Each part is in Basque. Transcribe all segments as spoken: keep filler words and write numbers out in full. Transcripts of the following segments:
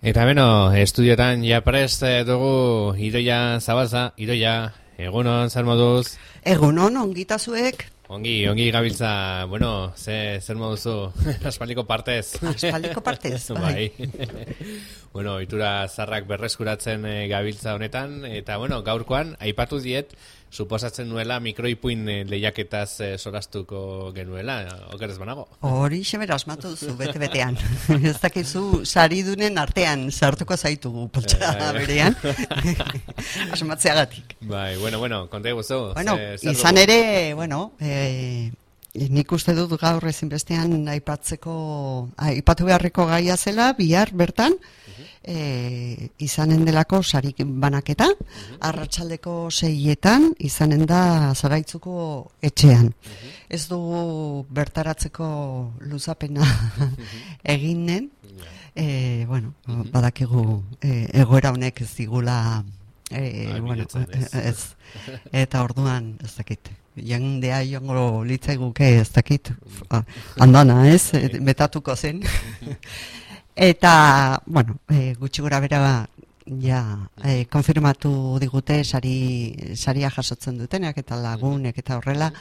Eta beno, estudiotan ja prest dugu Idoia Zabalza. Idoia, egunon, zer moduz? Egunon, ongitazuek. Ongi, ongi gabiltza, bueno, ze, zer moduzu, aspaldiko partez. Aspaldiko partez, bai. Bueno, itura zarrak berreskuratzen e, gabiltza honetan, eta bueno, gaurkoan, aipatu diet, suposatzen nuela mikroipuin lehiaketaz e, solastuko genuela, okerez banago. Hori xebera asmatu duzu, bete-betean. Ez dakizu saridunen artean sartuko zaitugu, poltsa berean. Asmatzeagatik. Bai, bueno, bueno, konta guzu. Bueno, izan dugu? Ere, bueno, e, nik uste dut gaur ezinbestean aipatzeko, aipatu beharreko gaia zela, bihar bertan, E, izanen delako sarik banaketa, uh-huh. Arratsaldeko seietan izanen da Zaraitzuko etxean. Uh-huh. Ez dugu bertaratzeko luzapena uh-huh. eginen, e, bueno, uh-huh. badakigu e, egoera honek ez digula, e, bueno, ez, eta orduan ez dakit. Jendea joango litzaiguke ez dakit, andana ez, betatuko zen. Eta, bueno, e, gutxi gora bera ja, e, konfirmatu digute sari, saria jasotzen dutenak eta lagunek eta horrela,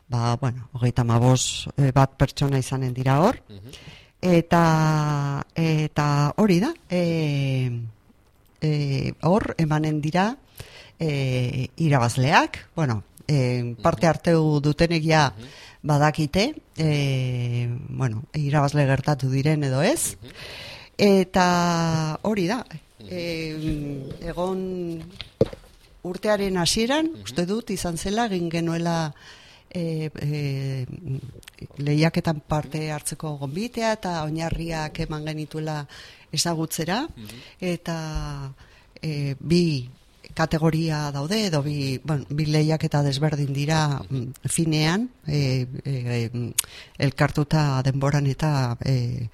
ba, bueno, hogeita hamabost bat pertsona izanen dira hor, eta, eta hori da, e, e, hor emanen dira e, irabazleak, bueno, e, parte hartu dutenek ja badakite, e, bueno, irabazle gertatu diren edo ez, eta hori da, e, egon urtearen hasieran, uste dut izan zela, egin genuela e, e, lehiaketan parte hartzeko gonbitea, eta oinarriak eman genituela ezagutzera, eta e, bi kategoria daude, edo bi, bueno, bi lehiaketa desberdin dira finean, e, e, elkartuta denboran eta e,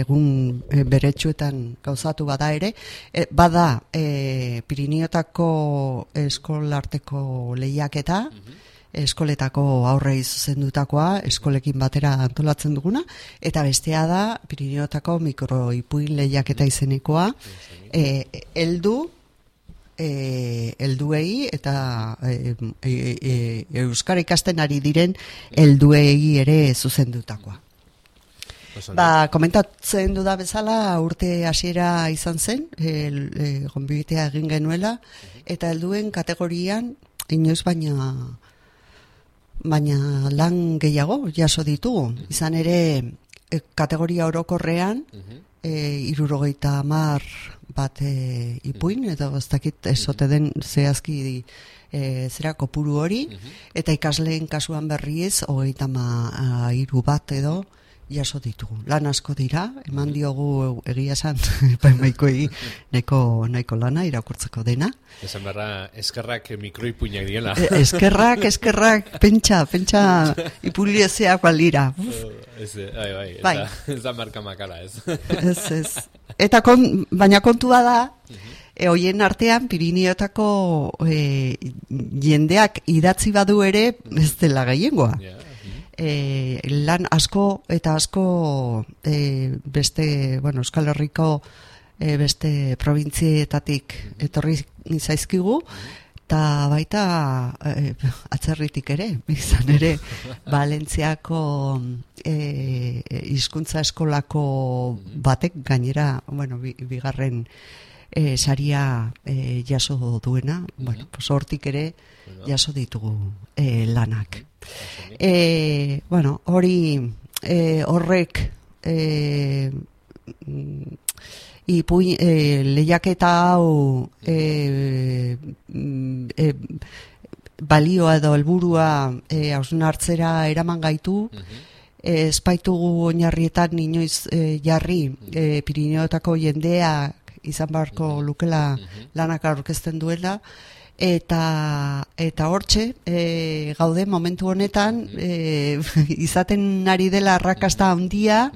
egun e, beretsuetan gauzatu bada ere, e, bada e, Pirinioetako eskolarteko lehiaketa, eskoletako aurrei zuzendutakoa, eskolekin batera antolatzen duguna, eta bestea da Pirinioetako mikroipuin lehiaketa izenekoa, e, heldu E, elduei eta e, e, e, euskara ikasten ari diren helduei ere zuzendutakoa. Ba, komentatzen duda bezala urte hasiera izan zen, e, e, gonbitea egin genuela, eta helduen kategorian inoiz baina baina lan gehiago jaso ditugu. Izan ere e, kategoria orokorrean e, hirurogeita hamar bat e, ipuin, edo ez dakit esote den zehazki e, zera kopuru hori, eta ikasleen kasuan berriez hogeita hamairu bat edo jaso ditugu. Lan asko dira, eman diogu egia esan epaimaikoei nahiko, nahiko lana irakurtzeko dena. Esan berra, eskerrak mikroipuinak diela. E, eskerrak, eskerrak, pentsa, pentsa ipuliezeak balira. Ez, bai, bai, bai. Ez da marka makala, ez. Ez, ez. Eta kon, baina kontua da, e, hoien artean Pirinioetako e, jendeak idatzi badu ere ez dela gehiengoa. Yeah. E, lan asko eta asko e, beste, bueno, Euskal Herriko e, beste probintzietatik etorri zaizkigu, eta baita e, atzerritik ere, izan ere Valentziako e, hizkuntza eskolako batek gainera, bueno, bigarren e, saria e, jaso duena, bueno, pues hortik ere jaso ditugu e, lanak. E, bueno, hori e, horrek e, ipuin, e, lehiaketa hau e, e, balioa edo helburua e, hausnartzera eraman gaitu, e, espaitugu oinarrietan inoiz e, jarri e, Pirinioetako jendeak izan beharko lukela lanak aurkezten duela, eta eta hortxe e, gaude momentu honetan e, izaten ari dela arrakasta handia,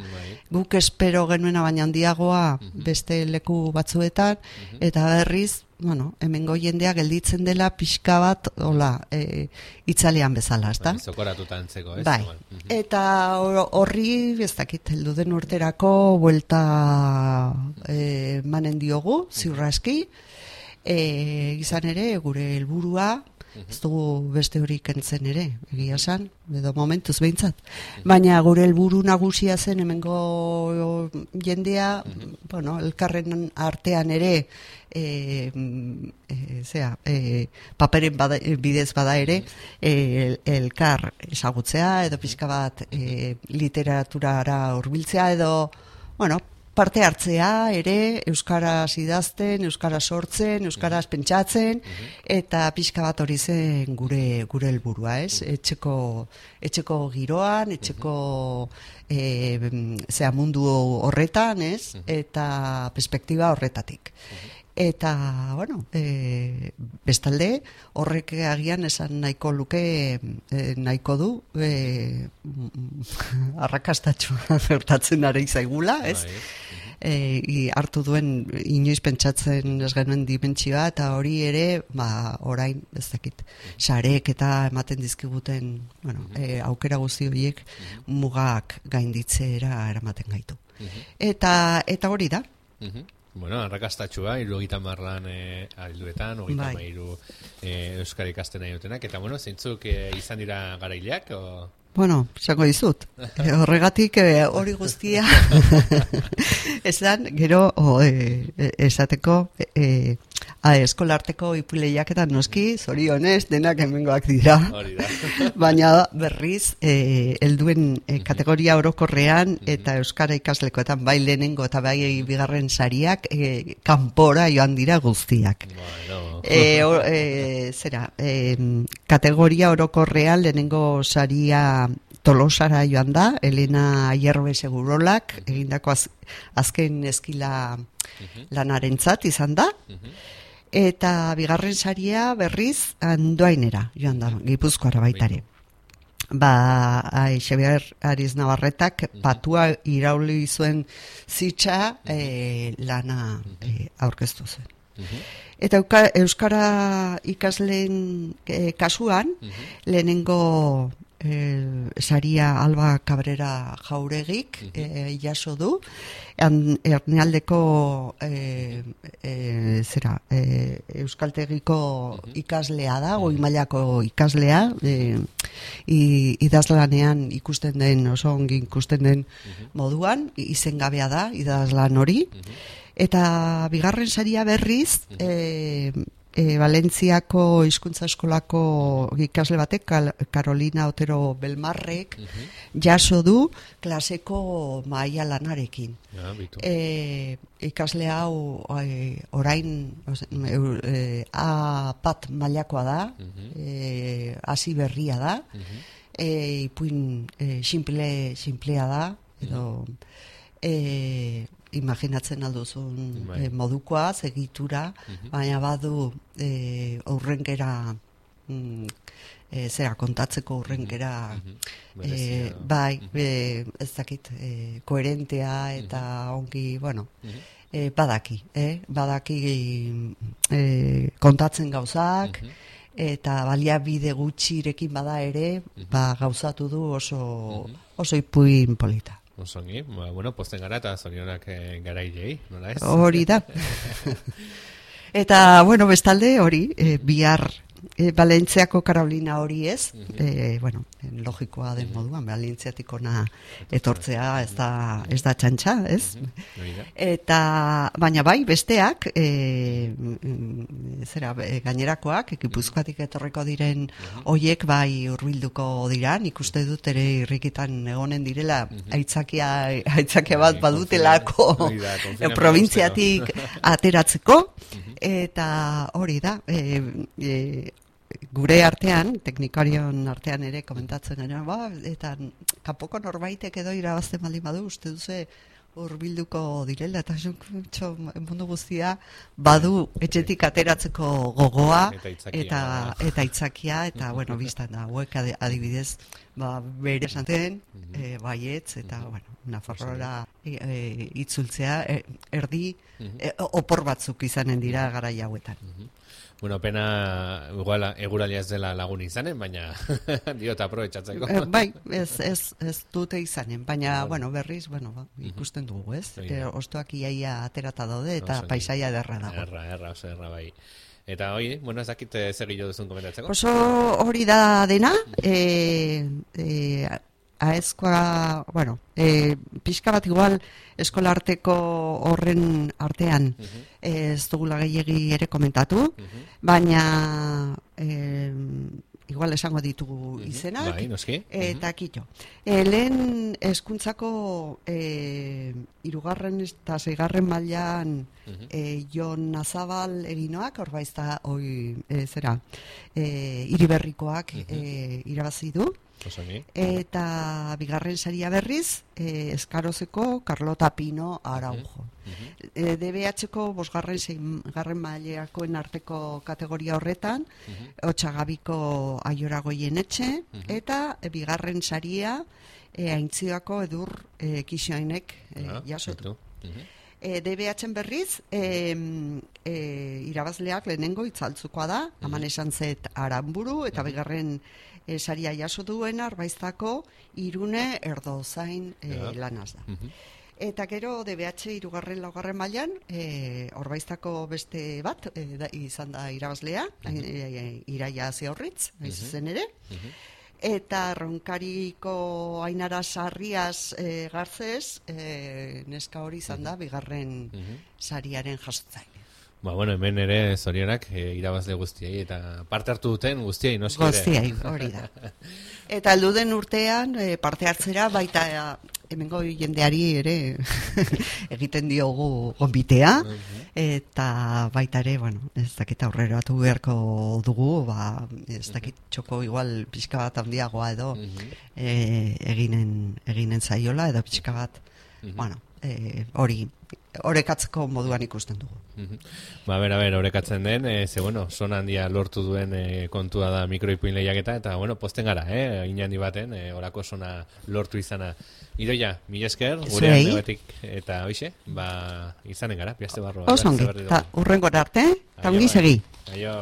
guk espero genuena baina handiagoa beste leku batzuetan, eta berriz, bueno, hemengo jendea gelditzen dela pixka bat, hola, e, itzalean bezala, ezta? Zokoratuta antzeko, ez? Bai, eta horri, ez dakit, heldu den urterako buelta e, manen diogu, ziurraski, e, izan ere, gure helburua, ez dugu beste hori kentzen ere, egia esan, edo momentuz behintzat. Baina gure helburu nagusia zen hemengo jendea, bueno, elkarren artean ere, e, e, zera, e, paperen bada, bidez bada ere, e, elkar ezagutzea, edo pixka bat e, literaturara hurbiltzea, edo, bueno, parte hartzea ere, euskaraz idazten, euskaraz sortzen, euskaraz pentsatzen, eta pixka bat hori zen gure gure helburua, ez? Etxeko, etxeko giroan, etxeko e, zea mundu horretan, ez? Eta perspektiba horretatik. Eta, bueno, e, bestalde, horrek agian esan nahiko luke, e, nahiko du, e, arrakastatxua gertatzen ari zaigula, ez? E, hartu duen inoiz pentsatzen ez genuen dimentsioa, eta hori ere, ba, orain, ez dakit, sarek eta ematen dizkiguten, bueno, e, aukera guzti horiek mugak gainditzera eramaten gaitu. Eta, eta hori da. Bueno, arrakastatxua, hirurogeita hamarran e, alduetan, hogeita bai. hamairu e, euskara ikasten nahi dutenak, eta bueno, zeintzuk e, izan dira garaileak, o... Bueno, esango dizut. E, horregatik e, hori guztia esan, gero o, e, esateko e, a, eskolarteko ipuleiaketan noski, zorionez, denak hemengoak dira. Baina berriz, e, helduen e, kategoria orokorrean eta euskara ikaslekoetan bai lehenengo eta bai bigarren sariak e, kanpora joan dira guztiak. Bueno. E, o, e, zera, e, kategoria orokorrean lehenengo saria Tolosara joan da, Elena Aierbe Segurolak, egindako az, azken eskila lanarentzat izan da, eta bigarren saria berriz Andoainera joan da, Gipuzkoara baitare. Ba, Xabier Ariz Navarretak patua irauli zuen zitsa e, lana e, aurkeztu zuen. Eta euskara ikasleen e, kasuan, lehenengo E, saria Alba Cabrera Jauregik e, jaso du, Ernealdeko e, e, zera, e, euskaltegiko ikaslea da, goi mailako ikaslea, e, idazlanean ikusten den, oso ongi ikusten den moduan, izengabea da, idazlan hori, eta bigarren saria berriz, e, E, Valentziako hizkuntza eskolako ikasle batek, Carolina Otero Belmarrek, jaso du klaseko maila lanarekin. Ja, e, ikasle hau e, orain e, A bat mailakoa da, e, hasi berria da, e, ipuin e, simple, simplea da, edo... E, imaginatzen alduzun e, modukoa, egitura, uh-huh. baina badu e, aurrengera mm, e, zera kontatzeko aurrengera uh-huh. e, bai, uh-huh. e, ez dakit e, koherentea eta uh-huh. ongi, bueno uh-huh. e, badaki, eh? badaki e, kontatzen gauzak uh-huh. eta baliabide gutxirekin bada ere uh-huh. ba, gauzatu du oso, uh-huh. oso ipuin polita. Osongi, ba, bueno, posten gara eta zorionak e, garailei, nola ez? Hori da. Eta, bueno, bestalde hori, e, bihar e, Valentziako Carolina hori ez, uh-huh. e, bueno, logikoa den uh-huh. moduan, Valentziatik ona etortzea ez da, ez da txantxa, ez? Uh-huh. Eta, baina bai, besteak, e, zera, e, gainerakoak, Gipuzkoatik etorreko diren uh-huh. hoiek bai hurbilduko dira, nik uste dut ere irrikitan egonen direla, uh-huh. aitzakia, aitzakia bat badutelako provintziatik ateratzeko, uh-huh. eta hori da, e, e, gure artean, teknikarion artean ere komentatzen gara, ba, eta kapoko norbaitek edo irabazten baldin badu, uste duze hurbilduko direla, eta txo, mundu guztia badu etxetik ateratzeko gogoa Eta aitzakia, eta, eta aitzakia, eta bueno, biztan da, hauek adi- adibidez, ba, bere esaten, eh, baietz, eta bueno, Nafarroara e, e, itzultzea, e, erdi e, opor batzuk izanen dira garai hauetan. Bueno, pena igual eguralia ez dela lagun izanen, baina diot aprobetxatzeko. Eh, bai, ez, ez, ez dute izanen, baina, bueno, berriz, bueno, ba, ikusten dugu, ez? Bai, E, bai. ostoak iaia aterata daude, eta Oso, paisaia derra dago. Erra, erra, oso erra bai. Eta hoi, bueno, ez dakit eh, zer gehiago duzun komentatzeko? Oso hori da dena, e, e, aezkoa, bueno, e, pixka bat igual eskola arteko horren artean ez dugula gehiegi ere komentatu, baina e, igual esango ditugu izenak, Bai, noski. eta kito. E, lehen hezkuntzako e, irugarren eta seigarren mailan e, Jon Nazabal eginoak, orbaizta, oi, e, zera, e, Iriberrikoak e, irabazi du, Osongi. eta bigarren saria berriz, e, Eskarozeko Carlota Pino Araujo. E, D B H-ko bosgarren seigarren mailakoen arteko kategoria horretan, Otsagabiko Aiora Goienetxe, eta e, bigarren saria e, Aintzioako Edur e, Kixoainek e, Ah, jasotu. itu. E, D B H-en berriz, e, e, irabazleak lehenengo itzaltzukoa da, haman esan zet Aranburu, eta bigarren e, saria jaso duena, arbaiztako Irune Erdozain e, Ja. lanaz da. Eta gero D B H irugarren laugarren mailan, e, orbaiztako beste bat, e, da, izan da irabazlea, e, e, Iraia Ziaurritz, hain zuzen ere, eta Ronkariko Ainara Sarriaz e, Garzez, e, neska hori izan da, bigarren sariaren jasotzaile. Ba, bueno, hemen ere zorionak e, irabazle guztiei eta parte hartu duten guztiei, noski ere. Guztiai, hori da. Eta heldu den urtean e, parte hartzera baita hemengo jendeari ere egiten diogu gonbitea, eta baita ere, bueno, ez dakit aurrera batu beharko dugu, ba, ez dakit txoko igual pixka bat handiagoa edo e, eginen, eginen zaiola, edo pixka bat, bueno, e, hori, orekatzeko moduan ikusten dugu. Ba, bera, bera, horrekatzen den, e, ze, bueno, son handia lortu duen e, kontua da mikroipuin lehiaketa, eta, bueno, posten gara, eh, inandi baten, e, orako sona lortu izana. Idoia, mila esker, gure Zuei. aldebatik, eta hoxe, ba, izanen gara, piazte barroa. Oso ongi, eta urrengora arte, eta ongi segi. Aio.